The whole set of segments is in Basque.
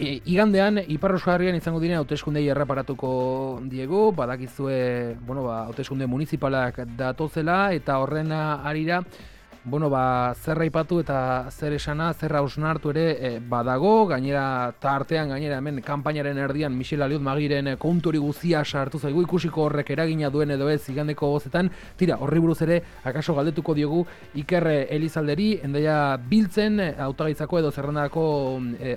Igandean, Ipar Euskal Herrian izango diren hauteskundei erreparatuko diegu, badakizue, hauteskunde municipalak datozela, eta horren harira, zer aipatu eta zer esana, zer hausnartu ere badago, gainera, hemen kanpainaren erdian Michel Aliot Magiren kontu hori guzia sartu zaigu, ikusiko horrek eragina duen edo ez igandeko gozetan, tira, horri buruz ere, akaso galdetuko diogu Iker Elizalderi, Hendaia biltzen, hautagaitzako edo zerrendako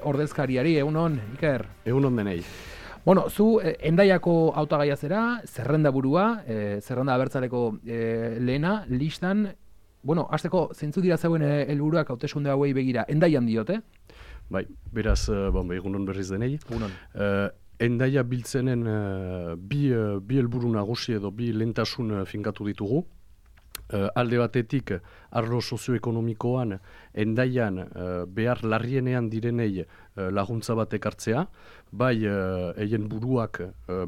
ordezkariari, egunon, Iker? Egunon denei. Zu Hendaiako hautagaia zera, zerrenda burua, zerrenda abertzaleko lehena, listan, hasteko zeintzu dira zeuen helburuak hauteskunde hauei begira, Hendaian diote? Bai, beraz, egunon berriz denei. Egunon. Hendaia biltzenen bi helburu nagusi edo bi lehentasun finkatu ditugu. Alde batetik, arlo sozioekonomikoan, Hendaian behar larrienean direnei laguntza bat ekartzea, bai eien buruak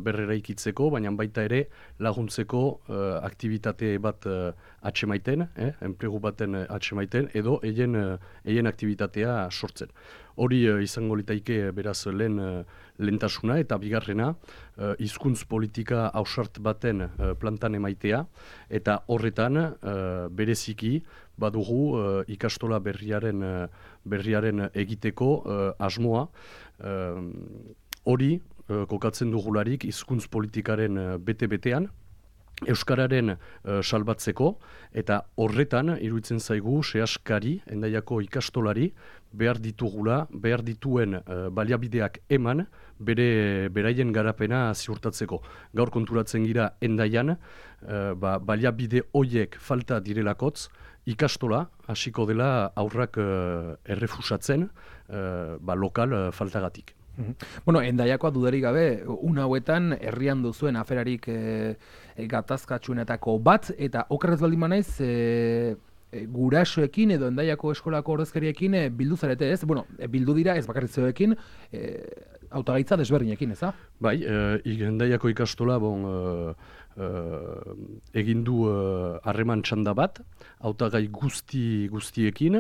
berreraikitzeko, baina baita ere laguntzeko aktibitate bat atsemaiten, enplegu baten atsemaiten, edo eien aktivitatea sortzen. Hori izango litaike beraz lehentasuna eta bigarrena hizkuntz politika ausart baten plantan emaitea, eta horretan bereziki badugu ikastola berriaren egiteko asmoa. Hori kokatzen dugularik hizkuntz politikaren bete-betean, Euskararen salbatzeko, eta horretan iruditzen zaigu sehaskari, Hendaiako ikastolari, behar dituen baliabideak eman, beraien garapena ziurtatzeko. Gaur konturatzen gira Hendaian, baliabide hoiek falta direlakotz, ikastola hasiko dela aurrak errefusatzen lokal faltagatik. Hendaiakoa dudarik gabe, hauetan herrian duzuen aferarik gatazkatsuenetako bat, eta okerrez baldin banaiz, gurasoekin edo Hendaiako eskolako ordezkariekin bildu zarete, ez? Bildu dira ez bakarritzeoekin, hautagaitza desberdinekin, eza? Bai, Hendaiako ikastola egin du harreman txanda bat, hautagai guztiekin,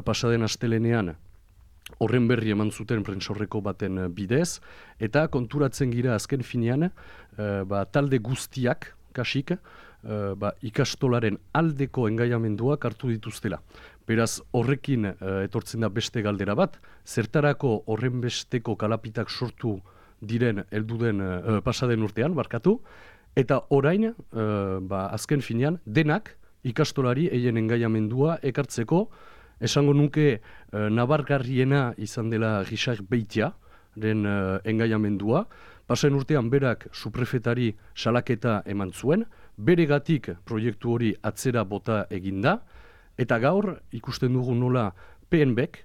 pasaden astelenean horren berri eman zuten prentsaurreko baten bidez, eta konturatzen gira azken finean, talde guztiak, kasik, ikastolaren aldeko engaiamenduak hartu dituztela. Beraz, horrekin etortzen da beste galdera bat, zertarako horren besteko kalapitak sortu diren pasaden urtean, barkatu, eta orain, azken finean, denak ikastolari eien engaiamendua ekartzeko. Esango nuke nabargarriena izan dela Richard Beitiaren engaiamendua. Pasaden urtean berak suprefetari salaketa eman zuen, beregatik proiektu hori atzera bota eginda, eta gaur ikusten dugu nola PNBek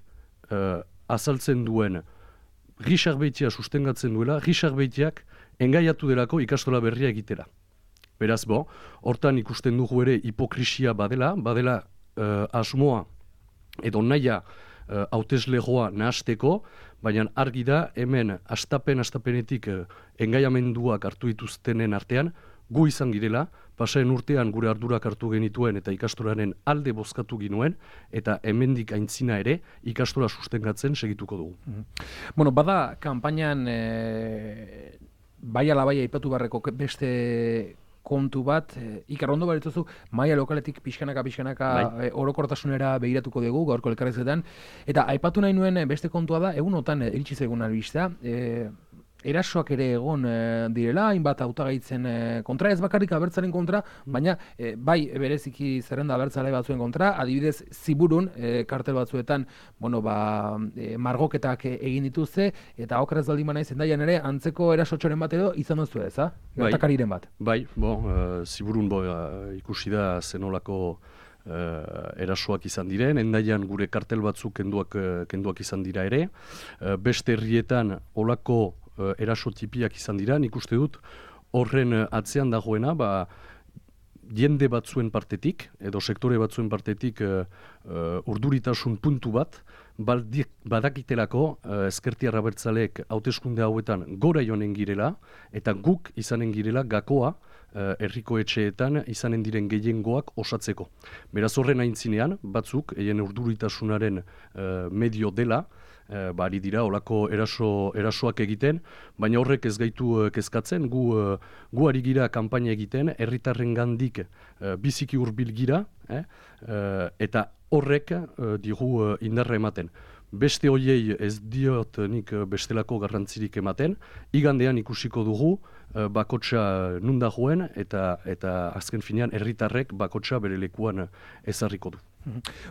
azaltzen duen Richard Beitia sustengatzen duela, Richard Beitiak engaiatu delako ikastola berria egitera. Beraz, hortan ikusten dugu ere hipokrisia badela asmoa edo nahia hauteslegoa nahasteko, baina argi da hemen astapenetik engaiamenduak hartu dituztenen artean, gu izan girela, pasaden urtean gure ardurak hartu genituen eta ikastolaren alde bozkatu ginuen, eta hemendik aintzina ere ikastola sustengatzen segituko dugu. Bada, kanpainan bai ala bai aipatu barreko beste kontu bat, Iker, ondo barituzu, maila lokaletik pixkanaka orokortasunera begiratuko dugu, gaurko elkarrezetan, eta aipatu nahi nuen beste kontua da, egunotan iritsi zaigun albistea, erasoak ere egon direla, hainbat hautagaitzen kontra, ez bakarrik abertzaren kontra, baina bai bereziki zerrenda abertzale batzuen kontra, adibidez Ziburun kartel batzuetan, margoketak egin dituzte, eta okerrez baldin banaiz Hendaian ere antzeko erasotxoren bat edo izan duzu ez, gertakariren bat. Bai, Ziburun ikusi da zenolako erasoak izan diren, Hendaian gure kartel batzuk kenduak izan dira ere, beste herrietan olako erasotipiak izan dira, nik uste dut horren atzean dagoena, jende batzuen partetik, edo sektore batzuen partetik urduritasun puntu bat, badakitelako ezkertiar abertzaleek hauteskunde hauetan gora joanen girela, eta guk izanen girela gakoa herriko etxeetan izanen diren gehiengoak osatzeko. Beraz horren aintzinean, batzuk, eien urduritasunaren medio dela, ari dira olako erasoak egiten, baina horrek ez gaitu kezkatzen, gu ari gira kanpaina egiten, herritarren gandik biziki hurbil gira, eta horrek digu indarra ematen. Beste hoiei ez diot nik bestelako garrantzirik ematen, igandean ikusiko dugu bakotsa nunda joen eta azken finean herritarrek bakotsa bere lekuan ezarriko du.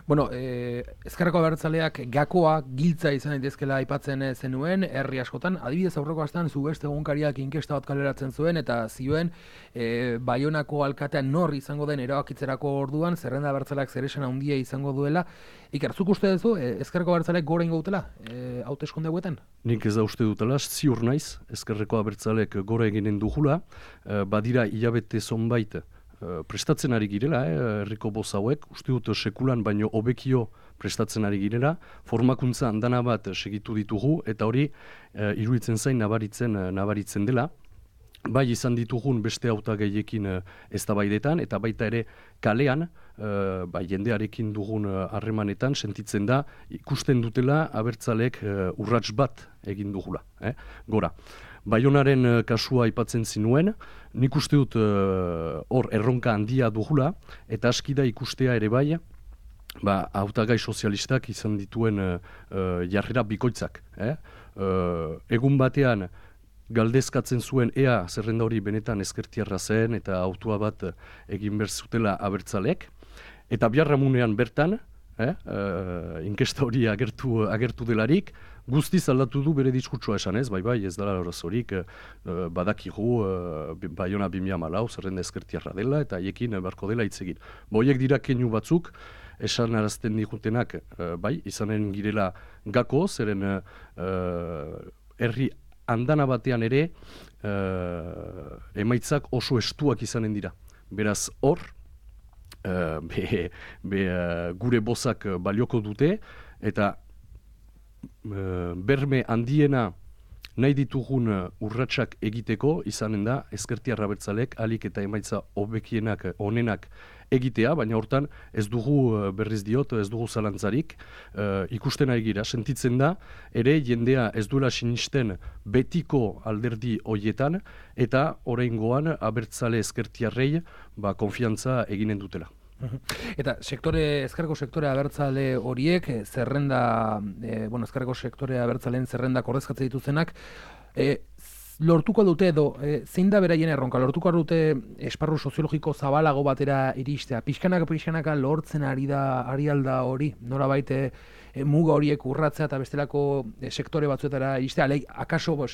Bueno, Ezkerreko Abertzaleak gakoa giltza izan daitezkela aipatzen zenuen, herri askotan, adibidez aurreko astean zu beste egunkariak inkesta bat kaleratzen zuen eta zioen Baionako alkatea nor izango den erabakitzerako orduan zerrenda Abertzaleak zeresan handia izango duela. Iker, zuk uste duzu Ezkerreko Abertzaleak gora ingo dutela hauteskunde hauetan? Nik ez da uste dutela, ziur naiz, Ezkerreko Abertzaleak gora eginen dugula, badira hilabete zonbait prestatzen ari girela, herriko boz hauek, uste dut sekulan baino hobekio prestatzen ari girela, formakuntza andana bat segitu ditugu, eta hori iruditzen zain nabaritzen dela. Bai izan ditugun beste hautagaiekin eztabaidetan eta baita ere kalean, jendearekin dugun harremanetan sentitzen da, ikusten dutela abertzalek urrats bat egin dugula, gora. Baionaren kasua aipatzen zinuen, nik uste dut hor erronka handia dugula, eta aski da ikustea ere bai, hautagai sozialistak izan dituen jarrera bikoitzak. Egun batean galdezkatzen zuen ea zerrenda hori benetan ezkertiarra zen eta autua bat egin behar zutela abertzalek, eta biharramunean bertan, inkesta hori agertu delarik, guztiz aldatu du bere diskurtsoa esan ez, bai, ez dela horazorik, badakigu Baiona 2014 zerrenda ezkertiarra dela eta haiekin beharko dela hitz egin. Boiek dira keinu batzuk, esan arazten digutenak, izanen girela gako, zeren herri andana batean ere emaitzak oso estuak izanen dira. Beraz hor, gure bozak balioko dute, eta berme handiena nahi ditugun urratsak egiteko izanen da ezkertiar abertzalek alik eta emaitza hobekienak onenak egitea, baina hortan ez dugu berriz diot, ez dugu zalantzarik, ikusten ari gira, sentitzen da, ere jendea ez duela sinisten betiko alderdi hoietan, eta oraingoan abertzale ezkertiarrei konfiantza eginen dutela. Eta ezkerreko sektore abertzale horiek, ezkerreko sektore abertzaleen zerrendak ordezkatzen dituztenak, lortuko dute edo, zein da beraien erronka, lortuko dute esparru soziologiko zabalago batera iristea, pixkanaka lortzen ari alda hori, norabait muga horiek urratzea eta bestelako sektore batzuetara iristea, akaso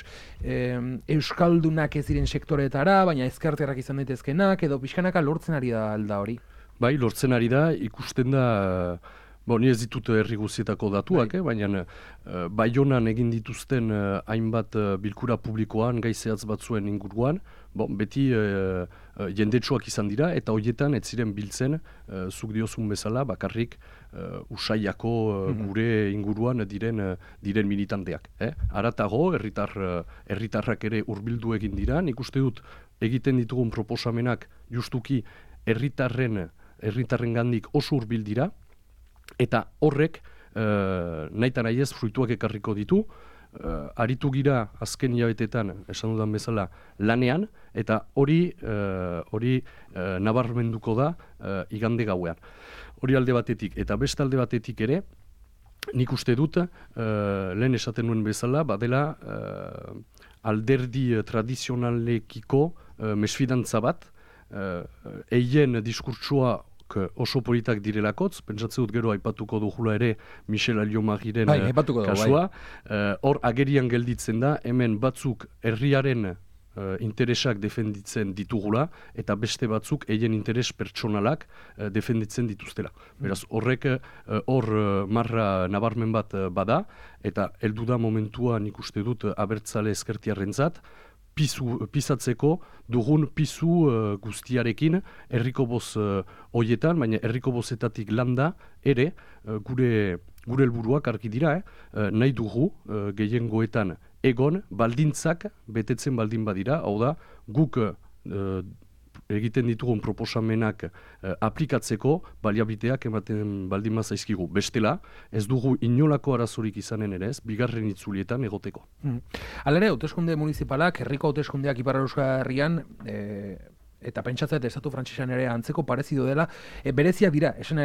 euskaldunak ez diren sektoretara, baina ezkertiarrak izan daitezkenak, edo pixkanaka lortzen ari da alda hori. Bai, lortzen ari da, ikusten da, ni ez ditut herri guztietako datuak, baina Baionan egin dituzten hainbat bilkura publikoan, gai zehatz batzuen inguruan, beti jendetsuak izan dira, eta horietan ez ziren biltzen, zuk diozun bezala, bakarrik Usaiako gure inguruan diren militanteak. Haratago, herritarrak ere hurbildu egin dira, nik uste dut egiten ditugun proposamenak justuki herritarren gandik oso hurbil dira, eta horrek nahi ez fruituak ekarriko ditu, aritu gira azken hilabetetan, esan dudan bezala, lanean, eta hori nabarmenduko da igande gauean. Hori alde batetik, eta beste alde batetik ere, nik uste dut, lehen esaten nuen bezala, badela alderdi tradizionalekiko mesfidantza bat, eien diskurtsua oso politak direlakotz, pentsatzen dut gero aipatuko dugula ere Michel Alliot-Mariren kasua. Hor agerian gelditzen da, hemen batzuk herriaren interesak defenditzen ditugula, eta beste batzuk eien interes pertsonalak defenditzen dituztela. Beraz, horrek hor marra nabarmen bat bada, eta heldu da momentua nik uste dut abertzale ezkertiarrentzat, pisatzeko dugun pisu guztiarekin herriko boz hoietan, baina herriko bozetatik landa ere gure helburuak argi dira, nahi dugu gehiengoetan egon baldintzak betetzen baldin badira, hau da guk egiten ditugun proposamenak aplikatzeko baliabiteak ematen baldin mazaizkigu. Bestela, ez dugu inolako arazorik izanen ere ez, bigarren itzulietan egoteko. Hala ere, hauteskunde municipalak, herriko hauteskundeak Ipar Euskal Herrian, eta pentsatzea estatu frantsesean ere antzeko parezido dela, bereziak dira, esan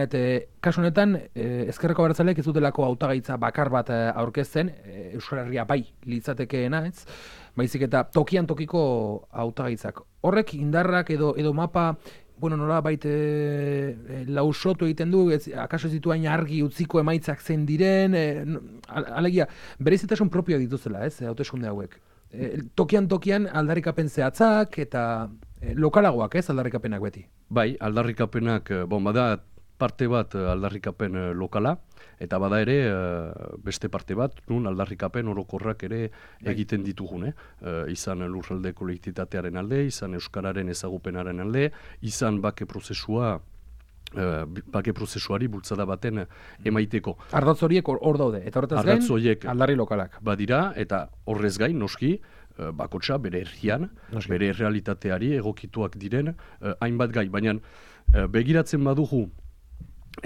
kasu honetan, ezkerreko abertzaleek ez dutelako hautagaitza bakar bat aurkezten, Euskal Herria bai litzatekeena, ez? Baizik eta tokian tokiko hautagaitzak. Horrek indarrak edo mapa, nola baita lausotu egiten du, akaso ez ditu hain argi utziko emaitzak zen diren, alegia, berezitasun propioa dituzela, ez, hauteskunde hauek. Tokian aldarrikapen zehatzak eta lokalagoak, ez, aldarrikapenak beti. Bai, aldarrikapenak, bada parte bat aldarrikapen lokala, eta bada ere beste parte bat, nun aldarrikapen orokorrak ere egiten ditugune. Izan lurralde kolektitatearen alde, izan euskararen ezagupenaren alde, izan bake prozesuari bultzada baten emaiteko. Ardatz horiek hor daude, eta horretaz gain aldarri lokalak. Badira, eta horrez gain, noski, bakotxa bere herrian, bere realitateari egokituak diren hainbat gai. Baina begiratzen badugu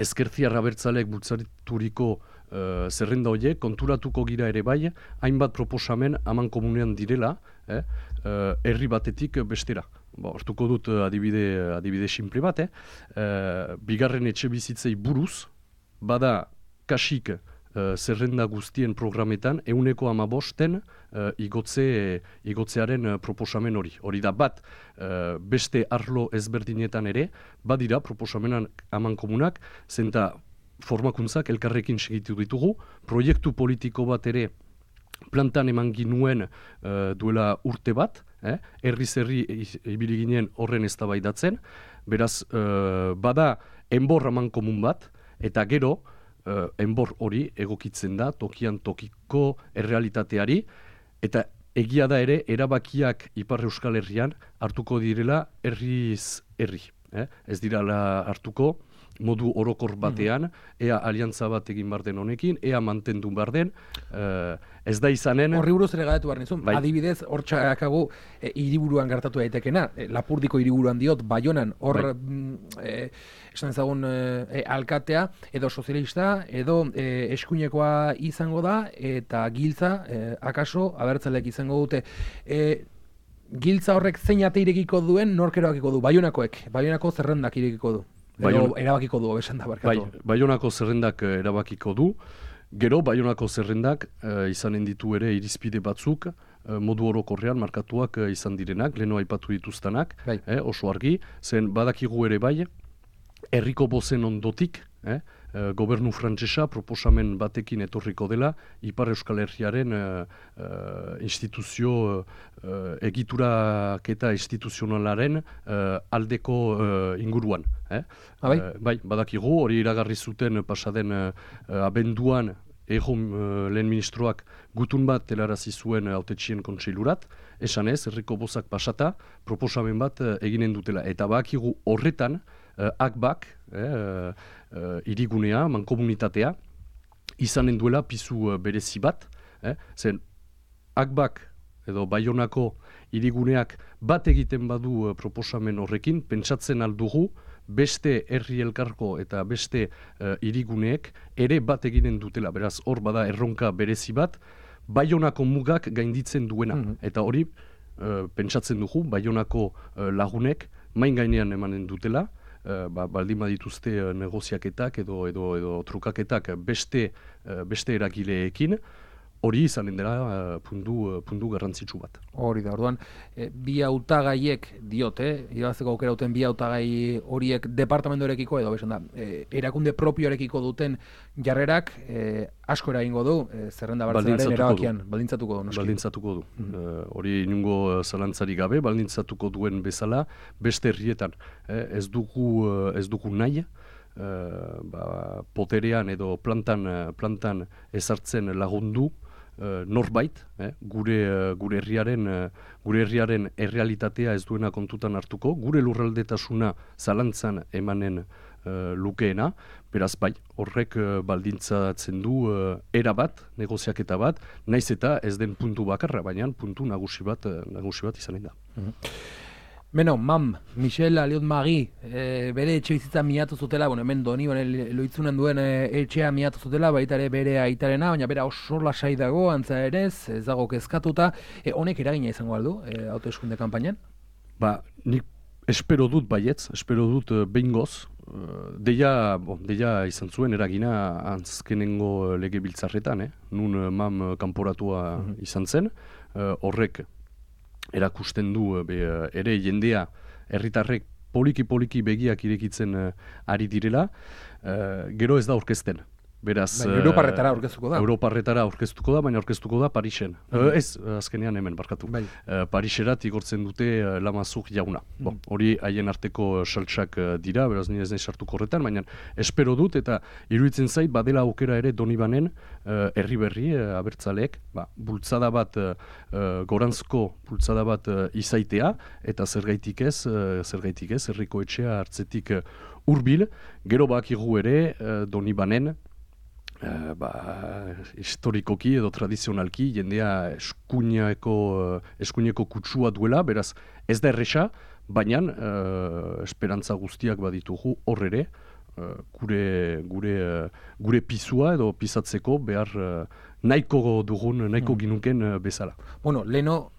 ezkertiar abertzaleek bultzaturiko zerrenda horiek, konturatuko gira ere bai, hainbat proposamen aman komunean direla, herri batetik bestera. Hortuko dut adibide simple bat, bigarren etxe bizitzei buruz, bada kasik zerrenda guztien programetan, 115 igotzearen proposamen hori. Hori da bat, beste arlo ezberdinetan ere, badira proposamenan aman komunak, zenta formakuntzak elkarrekin segitu ditugu, proiektu politiko bat ere plantan eman ginuen duela urte bat, herri ibili ginen horren eztabaidatzen, beraz, bada enbor aman komun bat, eta gero, enbor hori egokitzen da tokian tokiko errealitateari, eta egia da ere erabakiak Ipar Euskal Herrian hartuko direla herriz herri. Ez direla hartuko modu orokor batean, ea aliantza bat egin bar den honekin, ea mantendu bar den, ez da izanen... Horri buruz ere galetu behar nizun, adibidez, hor txakago hiriburuan gertatu daitekena, Lapurdiko hiriburuan diot, Baionan, hor esan ezagun alkatea, edo sozialista, edo eskuinekoa izango da, eta giltza, akaso, abertzaleek izango dute. Giltza horrek zein ate irekiko duen, nork erabakiko du, Baionako zerrendak irekiko du. Erabakiko du, besan da, barkatu. Baionako zerrendak erabakiko du, gero Baionako zerrendak izanen ditu ere irizpide batzuk, modu orokorrean markatuak izan direnak, leheno aipatu dituztanak, oso argi, zen badakigu ere bai, herriko bozen ondotik, gobernu frantsesa proposamen batekin etorriko dela, Ipar Euskal Herriaren instituzio egituraketa instituzionalaren aldeko inguruan. Bai, badakigu, hori iragarri zuten pasaden abenduan lehen ministroak gutun bat telarazi zuen hautetxien kontseilurat, esan ez, herriko bozak pasata, proposamen bat eginen dutela. Eta badakigu horretan, akbak, hirigunea, mankomunitatea, izanen duela pizu berezi bat, zen akbak edo Baionako hiriguneak bat egiten badu proposamen horrekin, pentsatzen aldugu beste herri elkarko eta beste hiriguneek ere bat eginen dutela. Beraz, hor bada erronka berezi bat, Baionako mugak gainditzen duena. Eta hori, pentsatzen dugu, Baionako lagunek main gainean emanen dutela, baldin badituzte negoziaketak edo trukaketak beste eragileekin, hori izanen dela puntu garrantzitsu bat. Hori da, orduan, bi hautagaiek diote, irabazteko aukera duten bi hautagai horiek departamentorekiko edo besan da, erakunde propioarekiko duten jarrerak asko eragingo du, zerrenda bartzaren erabakian, baldintzatuko du. Baldintzatuko du. Hori inungo zalantzari gabe, baldintzatuko duen bezala, beste herrietan. Ez dugu nahi, poterean edo plantan ezartzen lagundu norbait, gure herriaren errealitatea ez duena kontutan hartuko, gure lurraldetasuna zalantzan emanen lukeena, beraz bai, horrek baldintzatzen du era bat, negoziaketa bat, naiz eta ez den puntu bakarra, baina puntu nagusi bat izanen da. Beno, Michel Aliot-Mari, bere etxe bizitza miatu zutela, hemen Donibane Loitzunen duen etxea miatu zutela, baita ere bere aitarena, baina bera oso lasai dago, antza ere ez dago kezkatuta. Honek eragina izango aldu, hauteskunde kanpainan? Ba, nik espero dut baietz, espero dut behingoz. Deia izan zuen eragina azkenengo legebiltzarretan, nun MAM kanporatua izan zen, horrek erakusten du ere jendea herritarrek poliki begiak irekitzen ari direla, gero ez da aurkezten. Beraz, Europarretara aurkeztuko da. Europarretara aurkeztuko da, baina aurkeztuko da Parisen. Ez, azkenean hemen barkatu. Pariserat igortzen dute Lamazuk jauna. Hori haien arteko saltsak dira, beraz nire ez nahi sartuko horretan, baina espero dut eta iruditzen zait badela aukera ere Donibanen herri berri abertzaleek, bultzada bat, goranzko bultzada bat izaitea, eta zergaitik ez, herriko etxea hartzetik hurbil, gero bakigu ere Donibanen, historikoki edo tradizionalki jendea eskuineko kutsua duela, beraz ez da erresa, baina esperantza guztiak baditugu hor ere gure pisua edo pisatzeko behar nahiko dugun, nahiko ginuken bezala. Bueno, leno,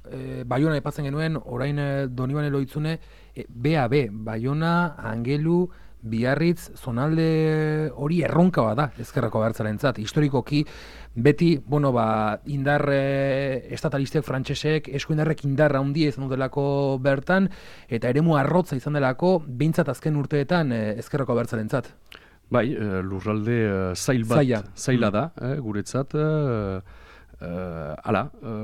Baiona epatzen genuen, orain Donibane Loitzune, BAB, Baiona, Angelu, Biarritz, zonalde hori erronka bada ezkerrako abertzalentzat. Historikoki beti, indar estatalistek, frantsesek, eskuindarrek indarra handia izan dutelako bertan, eta eremu arrotza izan delako, behintzat azken urteetan ezkerrako abertzalentzat. Bai, lurralde zaila da, guretzat,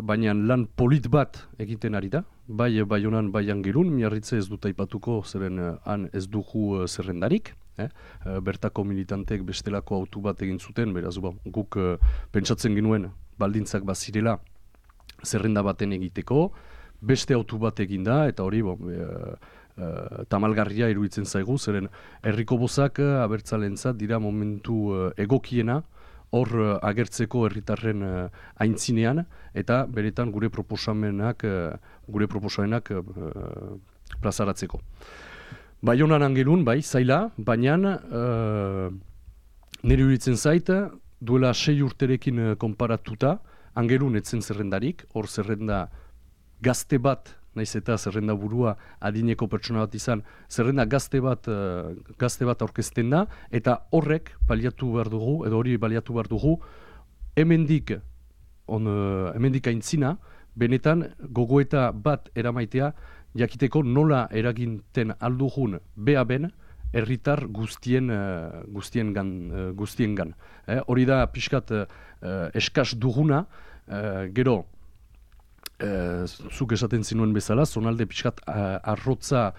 baina lan polit bat egiten ari da, bai Baionan, bai Angelun, Miarritze ez dut aipatuko, zeren han ez dugu zerrendarik, bertako militantek bestelako autu bat egin zuten, beraz guk pentsatzen genuen baldintzak bazirela zerrenda baten egiteko, beste autu bat eginda, eta hori tamalgarria iruditzen zaigu, zeren herriko bozak abertzalentzat dira momentu egokiena, hor agertzeko herritarren aintzinean, eta beretan gure proposamenak plazaratzeko. Baionan Angelun, bai, zaila, baina nire iruditzen zait, duela 6 urterekin konparatuta, Angelun etzen zerrendarik, hor zerrenda gazte bat, naiz eta zerrenda burua adineko pertsona bat izan, zerrenda gazte bat aurkezten da, eta horrek baliatu behar dugu, edo hori baliatu behar dugu, hemendik aintzina, benetan gogoeta bat eramaitea, jakiteko nola eraginten aldugun BAB-en herritar guztiengan. Hori da pixkat eskas duguna, gero, zuk esaten zinuen bezala, zonalde pixkat arrotza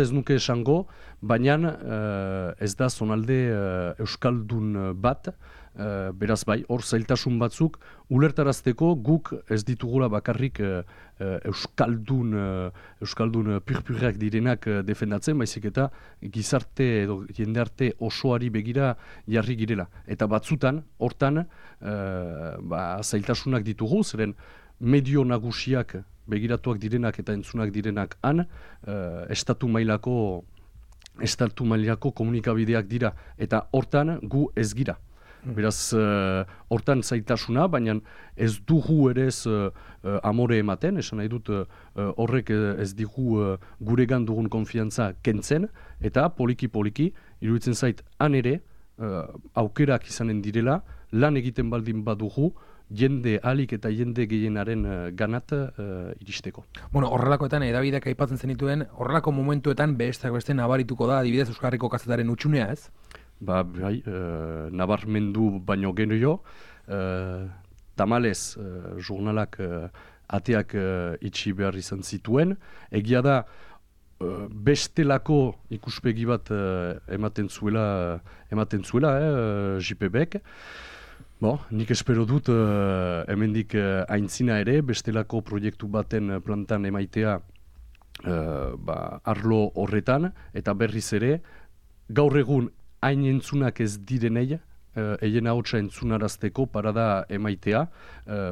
ez nuke esango, baina ez da zonalde euskaldun bat, beraz bai, hor zailtasun batzuk, ulertarazteko guk ez ditugula bakarrik euskaldun purpurrak direnak defendatzen, baizik eta gizarte edo jendearte osoari begira jarri girela. Eta batzutan, hortan, zailtasunak ditugu, zeren medio nagusiak begiratuak direnak eta entzunak direnak han, estatu mailako komunikabideak dira, eta hortan gu ez gira. Beraz, hortan zailtasuna, baina ez dugu ere ez amore ematen, esan nahi dut horrek ez digu guregan dugun konfiantza kentzen, eta poliki, iruditzen zait han ere, aukerak izanen direla, lan egiten baldin badugu, jende alik eta jende gehienaren ganat iristeko. Horrelakoetan edabideak aipatzen zenituen, horrelako momentuetan beste nabarituko da, adibidez Euskal Herriko kazetaren utxunea, ez? Bai, nabarmendu baino genio, tamalez jurnalak ateak itxi behar izan zituen, egia da bestelako ikuspegi bat ematen zuela JPBek. Nik espero dut hemendik aintzina ere, bestelako proiektu baten plantan emaitea arlo horretan, eta berriz ere, gaur egun hain entzunak ez direnei, eien ahotsa entzunarazteko parada emaitea,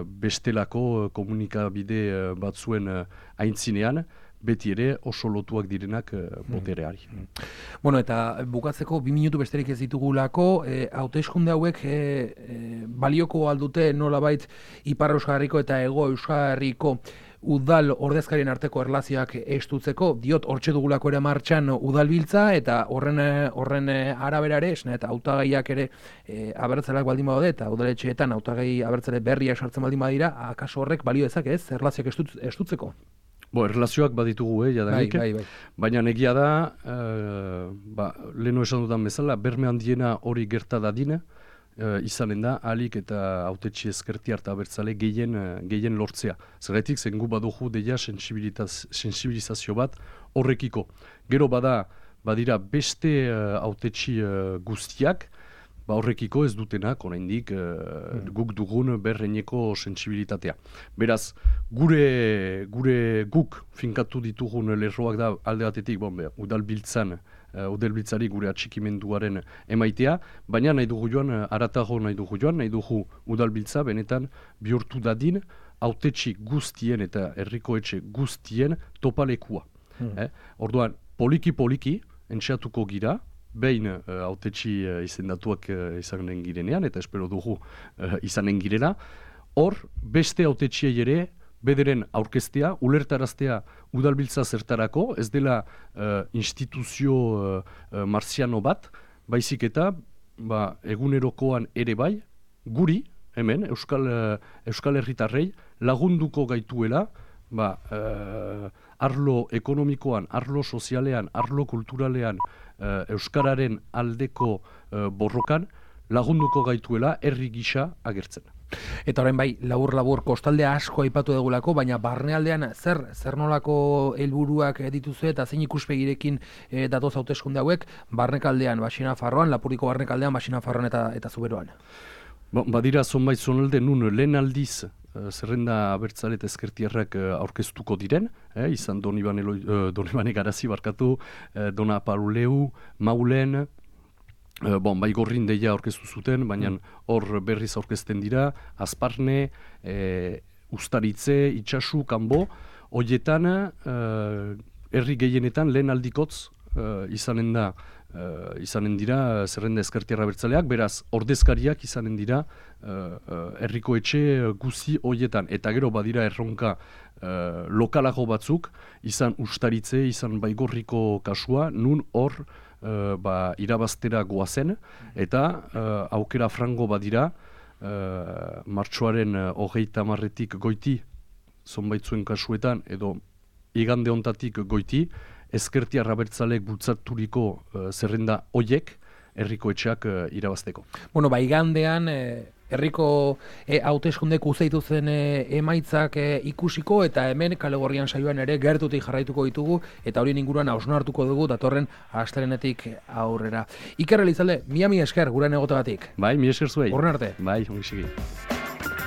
bestelako komunikabide batzuen aintzinean, beti ere oso lotuak direnak botereari. Bueno, eta bukatzeko 2 minutu besterik ez ditugulako, hauteskunde hauek balioko aldute nolabait Ipar Euskal Herriko eta Hego Euskal Herriko udal ordezkarien arteko erlazioak estutzeko, diot hortxe dugulako ere martxan udalbiltza, eta horren arabera ere, eta hautagaiak ere abertzaleak baldin badaude, eta udaletxeetan hautagai abertzale berriak sartzen baldin badira, akaso horrek balio ezak ez, erlazioak estutzeko? Erlazioak baditugu, jadanik, baina egia da, leheno esan dudan bezala, berme handiena hori gerta dadin, izanen da, ahalik eta hautetxe ezkerti harta abertzale gehien lortzea. Zergatik, zengu badugu deia sensibilizazio bat horrekiko. Gero badira beste hautetxe guztiak, horrekiko ez dutenak, oraindik guk dugun berreineko sensibilitatea. Beraz, guk finkatu ditugun lerroak da alde batetik, udalbiltzari gure atxikimenduaren emaitea, baina nahi dugu joan, aratago nahi dugu udalbiltza benetan bihurtu dadin hautetxe guztien eta herrikoetxe guztien topalekua. Orduan, poliki, entxeatuko gira, behin hautetxe izendatuak izanen girenean, eta espero dugu izanen girena, hor beste hautetxeei ere bederen aurkeztea, ulertaraztea udalbiltza zertarako, ez dela instituzio marziano bat, baizik eta egunerokoan ere bai, guri, hemen, Euskal Herritarrei lagunduko gaituela, arlo ekonomikoan, arlo sozialean, arlo kulturalean, Euskararen aldeko borrokan, lagunduko gaituela herri gisa agertzen. Eta orain bai, labur kostaldea asko aipatu dugulako, baina barnealdean zer nolako helburuak dituzu eta zein ikuspegirekin datoz hauteskunde hauek, barnekaldean, Baxinafarroan, Lapuriko barnekaldean, Baxinafarroan eta Zuberoan? Badira zonbait zonalde nun lehen aldiz zerrenda abertzale eta ezkertiarrak aurkeztuko diren, izan Donibane Garazi barkatu, Dona Paruleu, Maulen, Baigorrin deia aurkeztu zuten, baina hor berriz aurkezten dira, Azparne, Ustaritze, Itxasu, Kanbo, horietan herri gehienetan lehen aldikotz izanen dira zerrenda ezkertiarra bertzaleak, beraz ordezkariak izanen dira herriko etxe guzi horietan. Eta gero badira erronka lokalago batzuk, izan Ustaritze, izan Baigorriko kasua, nun hor irabaztera goazen, eta aukera frango badira, martxoaren 30 goiti, zonbaitzuen kasuetan, edo igande hontatik goiti, ezkertiar abertzaleek bultzaturiko zerrenda hoiek herriko etxeak irabazteko. Bueno, igandean herriko hauteskundek uzeitu zen emaitzak ikusiko, eta hemen Kale Gorrian saioan ere gertutik jarraituko ditugu, eta hori inguruan hausnartuko dugu datorren astelehenetik aurrera. Iker Elizalde, mila esker gurean egoteagatik. Bai, mila esker zuei. Horren arte. Bai, ongi segi.